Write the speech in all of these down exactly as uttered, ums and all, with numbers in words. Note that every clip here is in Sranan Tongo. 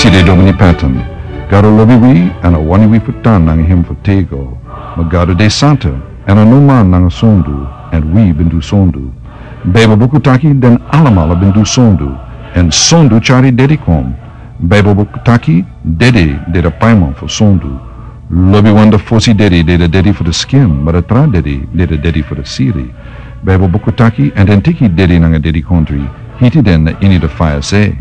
Tide Domini Patton, Gado lobi wi, èn a wani wi fu tan nanga hem fu tego. Ma Gado de santa, èn a no man nanga sondu, èn wi ben du sondu. Baibel buku taki den alamala ben du sondu, èn sondu tyari dedi kon. Baibel buku taki dedi de da paiman fu sondu. Lobi wan, da fosi dedi de da dedi fu da skin, ma da tra dedi de da dedi fu da siri. Baibel buku taki, èn den teki dedi nanga dedikontri, hiti den na ini da faya se.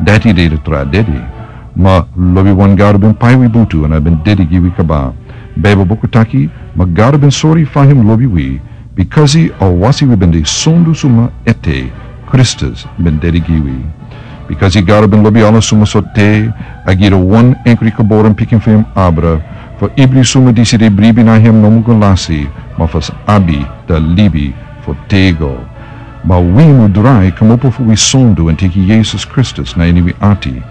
Dati de da tra dedi. Ma lobi wan, Gado ben pai wi butu, èn a ben dedi gi wi kaba. Baibel buku taki, ma Gado ben sori fa hem lobi wi, bikasi a wasi wi ben de sondu suma ete, Kristus ben dedi gi wi. Bikasi Gado ben lobi ala suma sortu, a gi da wan enkri geboren pikin fu hem abra, fu ibri suma disi de bribi na hem no mu go lasi, ma fu sa abi da libi fu tego. Ma wi mu drai kmopo fu wi sondu èn teki Yesus Kristus na ini wi ati.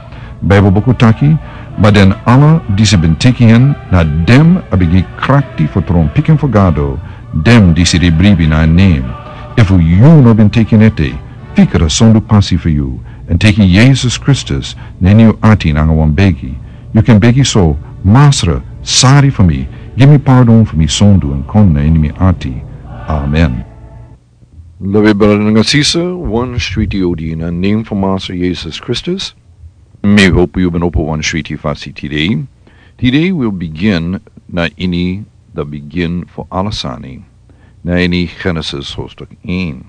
Baibel buku taki, ma den ala disi ben teki en, na den a ben gi krakti fu tron pikin fu Gado, den disi de bribi na en nen. Efu yu no ben teki en ete, fika da sondu pasi fu yu, èn teki Yesus Kristus na ini yu ati nanga wan begi. Yu kan begi so: Masra, sari fu mi, gi mi pardon fu mi sondu èn kon na ini mi ati. Amen. Lobi brada nanga sisa, wan switi odi na nen fu Masra Yesus Kristus. Mi hopu yu ben opo wan switi fasi tide. Tide wi o bigin na ini da bigin fu ala sani, na ini Genesis hoofdstuk één.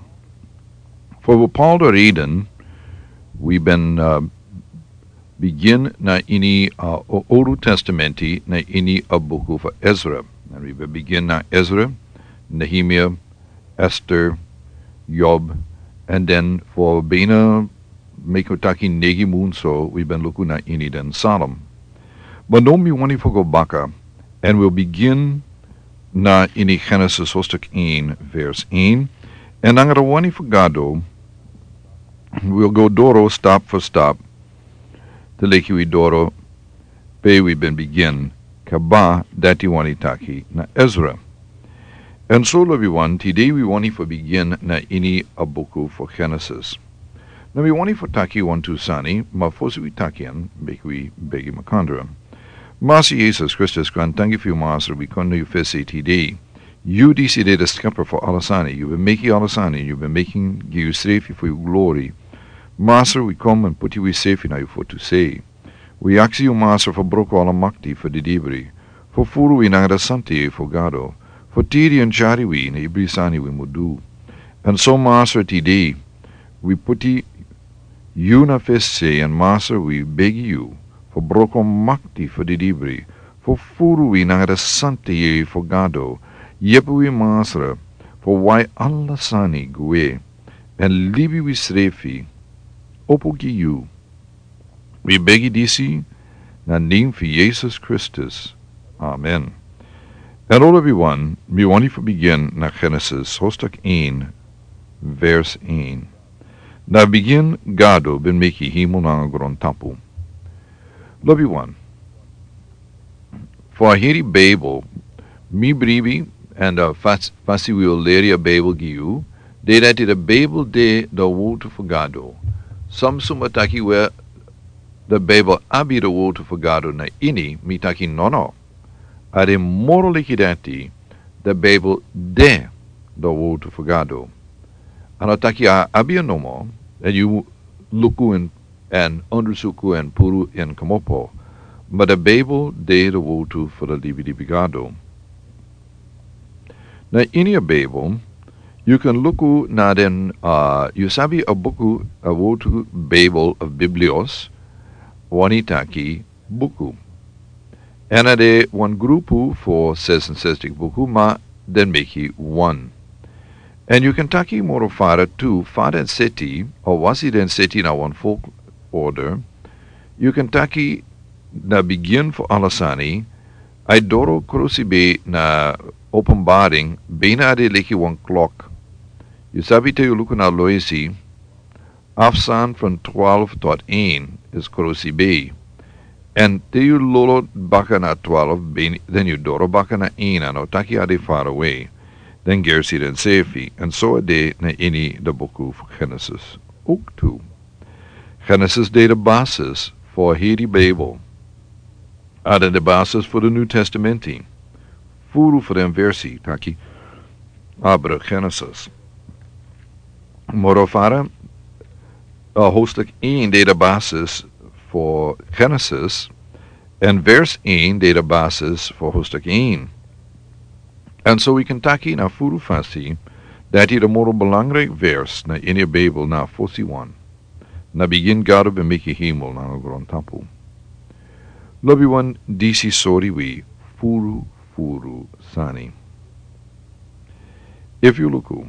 Fu bepaalde reden, wi ben, uh, bigin na ini, uh, o Olu Testamenti, na ini a buku fu Ezra. Èn wi ben bigin na Ezra, Nehemia, Ester, Job, èn den fu bina, meki wi taki, negi mun so, wi ben luku na ini den Psalm. Ma now mi wani fu go baka, èn wi o bigin na ini Genesis hoofdstuk één, vers één. Èn nanga da wani fu Gado, wi o go doro stap fu stap, te leki wi doro pe wi ben bigin kaba, dati wani taki na Ezra. Èn so, lobi wan, tide wi wani fu bigin na ini a buku fu Genesis. Now mi wani fu taki wantu sani, ma fosi wi taki en, meki wi begi makandra. Masra Yesus Kristus, grantangi fu yu, Masra, wi kon na yu fesi tide. Yu disi de da Skepper fu ala sani. Yu ben meki ala sani, yu ben meki en gi yusrefi fu yu glori. Masra, wi kon èn puti wisrefi na yu fotu sei. Wi aksi yu, Masra, fu broko ala makti fu didibri, fu furu wi nanga da santa yeye fu Gado, fu tiri èn tyari wi na ibri sani wi mu du. Èn so, Masra, tide wi puti yu na fesi, èn Masra, wi begi yu fu broko makti fu didibri, fu furu wi nanga da santa yeye fu Gado. Yepi wi, Masra, fu wai ala sani gwe, èn libi wisrefi opo gi yu. Wi begi disi na nen fu Yesus Kristus. Amen. Èn now, lobi wan, mi wani fu bigin na Genesis hoofdstuk één, vers één. Na bigin Gado ben meki hemel nanga grontapu. Lobi wan, fu a heri Bijbel, mi bribi, èn, uh, fas-, fasi wi o leri a Bijbel gi yu, de dati da Bijbel de da wortu fu Gado. Son suma taki we da Bijbel abi da wortu fu Gado na ini, mi taki nono. A de moro leki dati, da Bijbel de da wortu fu Gado. A no taki a abi en nomo, èn yu luku en, èn ondrosuku èn puru en kmopo. Ma da Bijbel de da wortu fu da libilibi Gado. Na ini a Bijbel, yu kan luku na den, uh, yu sabi a buku, a wortu Bijbel of biblios, wani taki buku. Èn a de wan grupu fu zesensestig buku, ma den meki wan. Èn yu kan taki moro fara tu, fa den seti, o wasi den seti na wan volgorde. Yu kan taki na bigin fu ala sani, a e doro krosi bei na Openbaring, bina a de leki wan klok. Yu sabi te yu luku na loisi, afstand from twaalf tot één is krosi bei. Èn te yu lolo baka na twaalf, ben-, den yu doro baka na één, a no taki a de far away. Den gersi densefi, èn so a de na ini da buku fu Genesis. Ook tu. Genesis de da basis fu heri Bijbel. Adan de basis fu de New Testamenti. Furu fu den versi taki abra Genesis. Moro fara, uh, hoofdstuk één de de basis fu Genesis. En vers één de de basis fu hoofdstuk één. En so wi kan taki na furu fasi, dati de moro belangrijk vers na ini Bijbel na fosi wan. Na begin Gado ben meki hemel nanga grontapu. Lobi wan disi sori wi furu furu sani. Efu yu luku,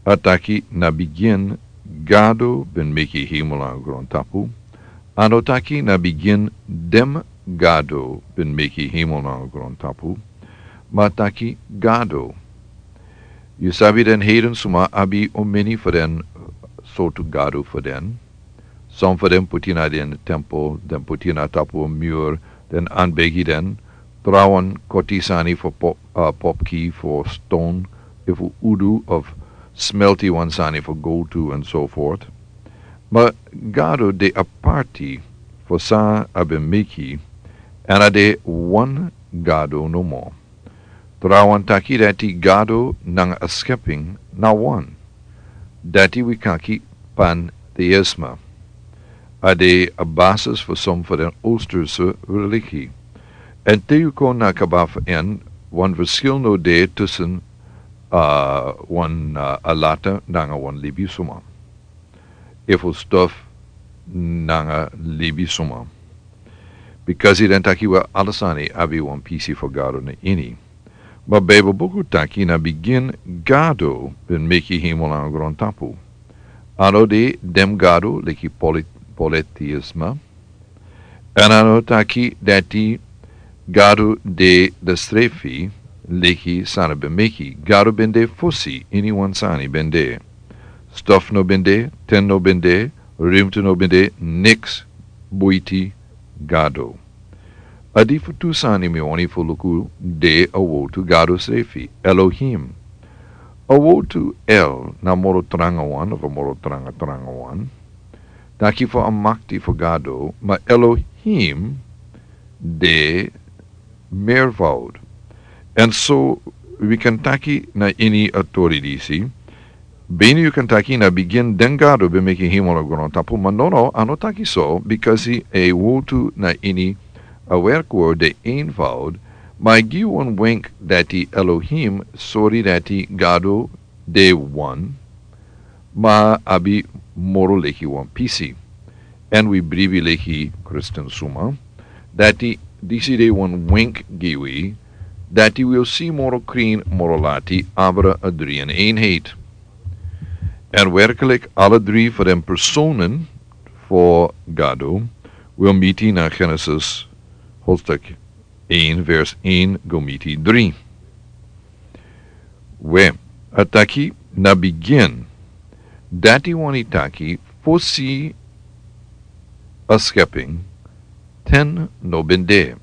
a taki na begin Gado ben meki hemel nanga grontapu. A no taki na begin dem Gado ben meki hemel nanga grontapu. Ma a taki Gado. Yu sabi den heiden suma abi omeni fu den sortu gado fu den. Son fu den puti na den tempel, den puti na tapu muur, den anbegi den. Trawan koti sani fu pop, uh, popki fu stone, efu udu of smelti wan sani fu go to and so forth. Ma Gado de aparti fu san a ben meki, en a de wan Gado nomo. Trawan taki dati Gado nanga a skepping na wan. Dati wi kan taki pantheïsme. A de a basis fu son fu den Oosterse religie. En te yu kon na kaba fu en, wan verschil no de tussen, uh, wan, uh, alata nanga wan libisuma. Efu stof nanga libisuma. Because den taki wi ala sani abi wan pisi fu Gado na ini. Ma Bijbel buku taki na begin Gado ben meki hemel nanga grontapu. A no de dem gado leki polit-, polytheïsme. En a no taki dati Gado de de srefi leki san a ben meki. Gado ben de fosi ini wan sani ben de. Stof no ben de, ten no ben de, ruimte no ben de, niks buiti Gado. A di fu tu sani mi wani fu luku de a wotu Gado srefi, Elohim. A wotu El na moro tranga wan, of a moro tranga tranga wan. Taki fu a makti fu Gado, ma Elohim de meervoud. En so wi kan taki na ini a tori disi. Bini yu kan taki na begin den Gado ben meki hemel nanga grontapu, ma no, no, a no taki so, because a wotu na ini a werkwoord de eenvoud, ma a gi wan wenk dati Elohim sori dati Gado de wan, ma abi moro leki wan pisi. En wi bribi leki Christian suma, dati disi de wan wenk gi wi, dati wi o si moro krin, moro lati, abra a dri en eenheid. En werkelijk, alle drie fu den personen fu Gado, wi o miti na Genesis, hoofdstuk één, vers één, go miti drie. We, a taki na begin. Dati wani taki fosi a skepping, ten no ben de.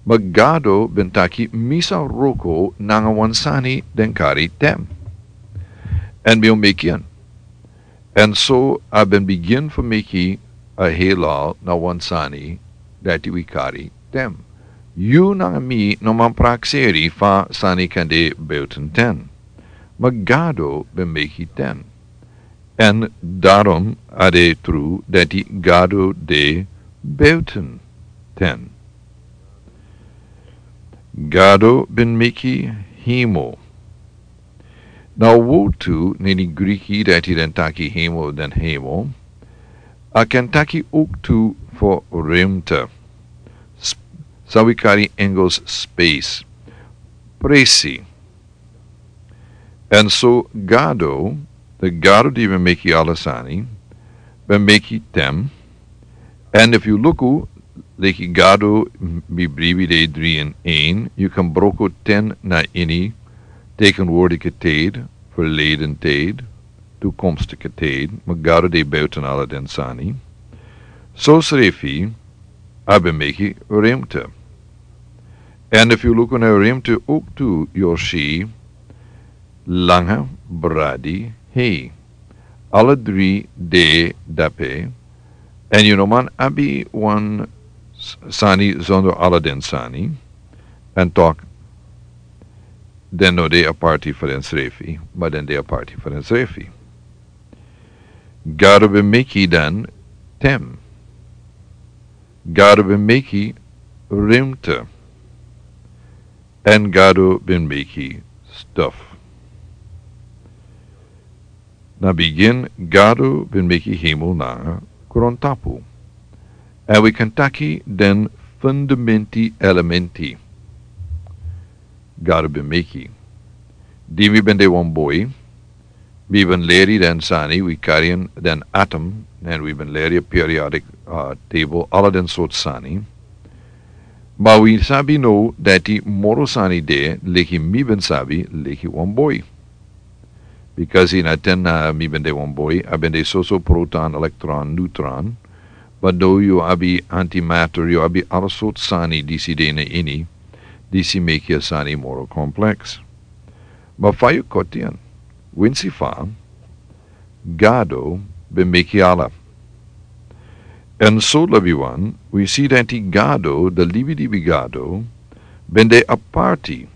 Ma Gado ben taki mi sa wroko nanga wan sani den kari tem. En mi o meki en. En so a ben begin fu meki a heelal na wan sani dati wi kari tem. Yu nanga mi no man prakseri fa sani kan de buiten ten. Ma Gado ben meki ten. En daarom a de tru dati Gado de buiten ten. Gado ben meki hemel. Na wotu na ini Griki dati den taki hemel den hemel. A kan taki ook tu fu ruimte. Sp-, san wi kari Engels space. Presi. En so Gado, de Gado di ben meki ala sani, ben meki tem. En efu yu luku, leki Gado, mi bribi de drie in één, yu kan broko ten na ini tegenwoordige tijd, verleden tijd, toekomstige tijd, ma Gado de buiten ala den sani. So srefi, a ben meki ruimte. En efu yu luku na ruimte ook tu, yu o si, langa, bradi, hei. Alle drie de dape, Èn yu no man abi wan sani zonder ala den sani. Èn tok, den no de aparti fu densrefi, ma den de aparti fu densrefi. Gado ben meki den tem. Gado ben meki rimte. Èn Gado ben meki stuf. Na bigin Gado ben meki hemel nanga grontapu. Èn wi kan taki den fundamenti elementi Gado ben meki. Di mi ben de wan boi, mi ben leri den sani, wi kari den atom, èn wi ben leri a periodic table, ala den sort sani. Ma wi sabi no dati moro sani de leki mi ben sabi leki wan boi. Bikasi na ten na mi ben de wan boi, a ben de soso proton, elektron, neutron. But no, yu abi antimatter, yu abi ala sort sani disi de na ini, disi meki a sani moro kompleks. Ma fa yu koti en, winsi fa Gado ben meki ala. Èn so lobi wan, wi si dati Gado, de libi libi Gado, ben de aparti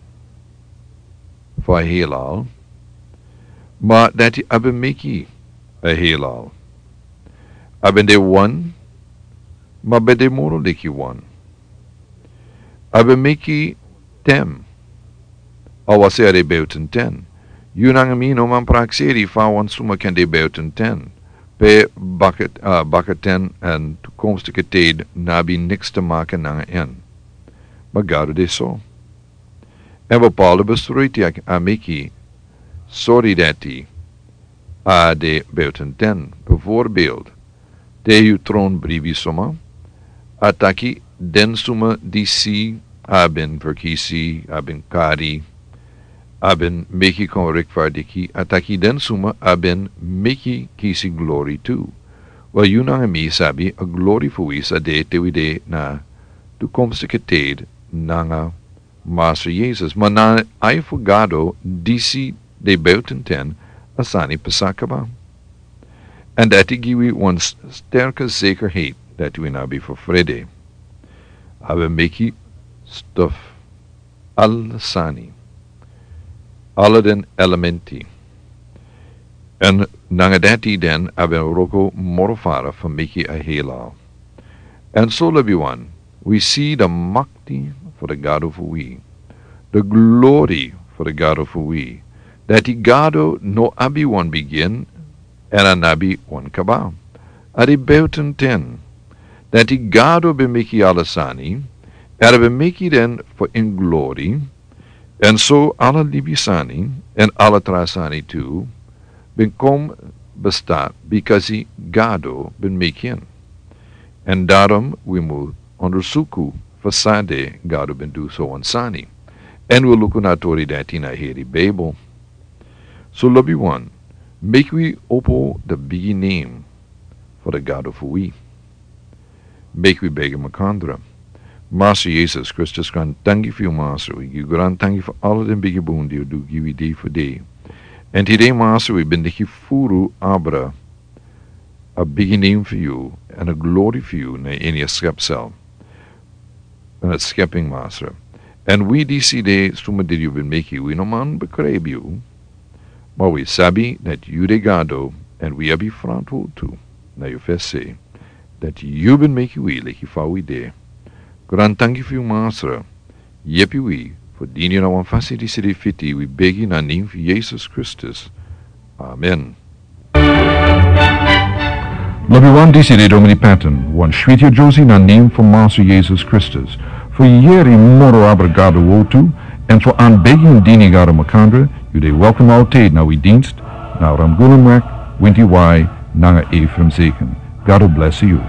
fu a helal, ma dati a ben meki a helal. A ben de wan, ma ben de moro leki wan. A ben meki ten. A wasi a de buiten ten. Yu nanga mi no man prakseri fa wan suma kan de buiten ten. Pe baka, uh, baka ten èn toekomstige tijd no abi niks te maken nanga en. Ma Gado de so. Èn bepaalde besluiti a meki, sori dati a de buiten ten. Bijvoorbeeld, te yu tron bribi suma, a taki den suma disi a ben verkisi, a ben kari, a ben meki kon rekvardiki, a taki den suma a ben meki kisi glori tu. Wel, yu nanga mi sabi a glori fu wi sa de te wi de na toekomstige tijd nanga Master Jesus, ma na ai fu Gado disi de buiten ten a sani pasa kaba. Èn dati gi wi wan sterke zekerheid dati wi no abi fu frede. A ben meki stuf, ala sani, ala den elementi. Èn nanga dati den a ben wroko moro fara fu meki a helal. Èn so lobi wan, wi si de makti fu de Gado fu wi, de glori fu de Gado fu wi, dati Gado no abi wan bigin èn a no abi wan kaba. A de buiten ten. Dati Gado ben meki ala sani, èn a ben meki den fu en glori, èn so ala libi sani èn ala tra sani tu ben kon besta, bikasi Gado ben meki en. Èn daarom wi mu ondersuku fu san de Gado ben du so wan sani. Èn wi luku na tori dati na heri Bijbel. So lobi wan, meki wi opo de bigi name fu de Gado fu wi. Meki wi begi makandra. Master Jesus Kristus, grantangi fu yu, Master. Wi gi yu grantangi fu ala den bigi bun di yu du gi wi dei fu dei. Èn tide, Master, wi ben deki furu abra a bigi name fu yu èn a glori fu yu na ini a skepsel. Èn a skeping, Master. Èn wi disi de suma di yu ben meki, wi no man bekrijbi yu. Ma wi sabi dati yu de Gado, èn wi abi frantwortu na yu fesi, dati yu ben meki wi leki fa wi de. Grantangi fu yu, Master. Yepi wi fu dini na wan fasi disi de fiti, wi begi na name fu Jesus Kristus. Amen. Lobi wan, disi de Domini Patton, wan switi Josie na name fu Master Jesus Kristus. Fu yeri moro abra Gado wortu, èn fu an begi dini Gado makandra, yu de welkom altijd na wi dienst, na Ramgunnenweg, winti wai, nanga Ephraim Zeken. Gado bless yu.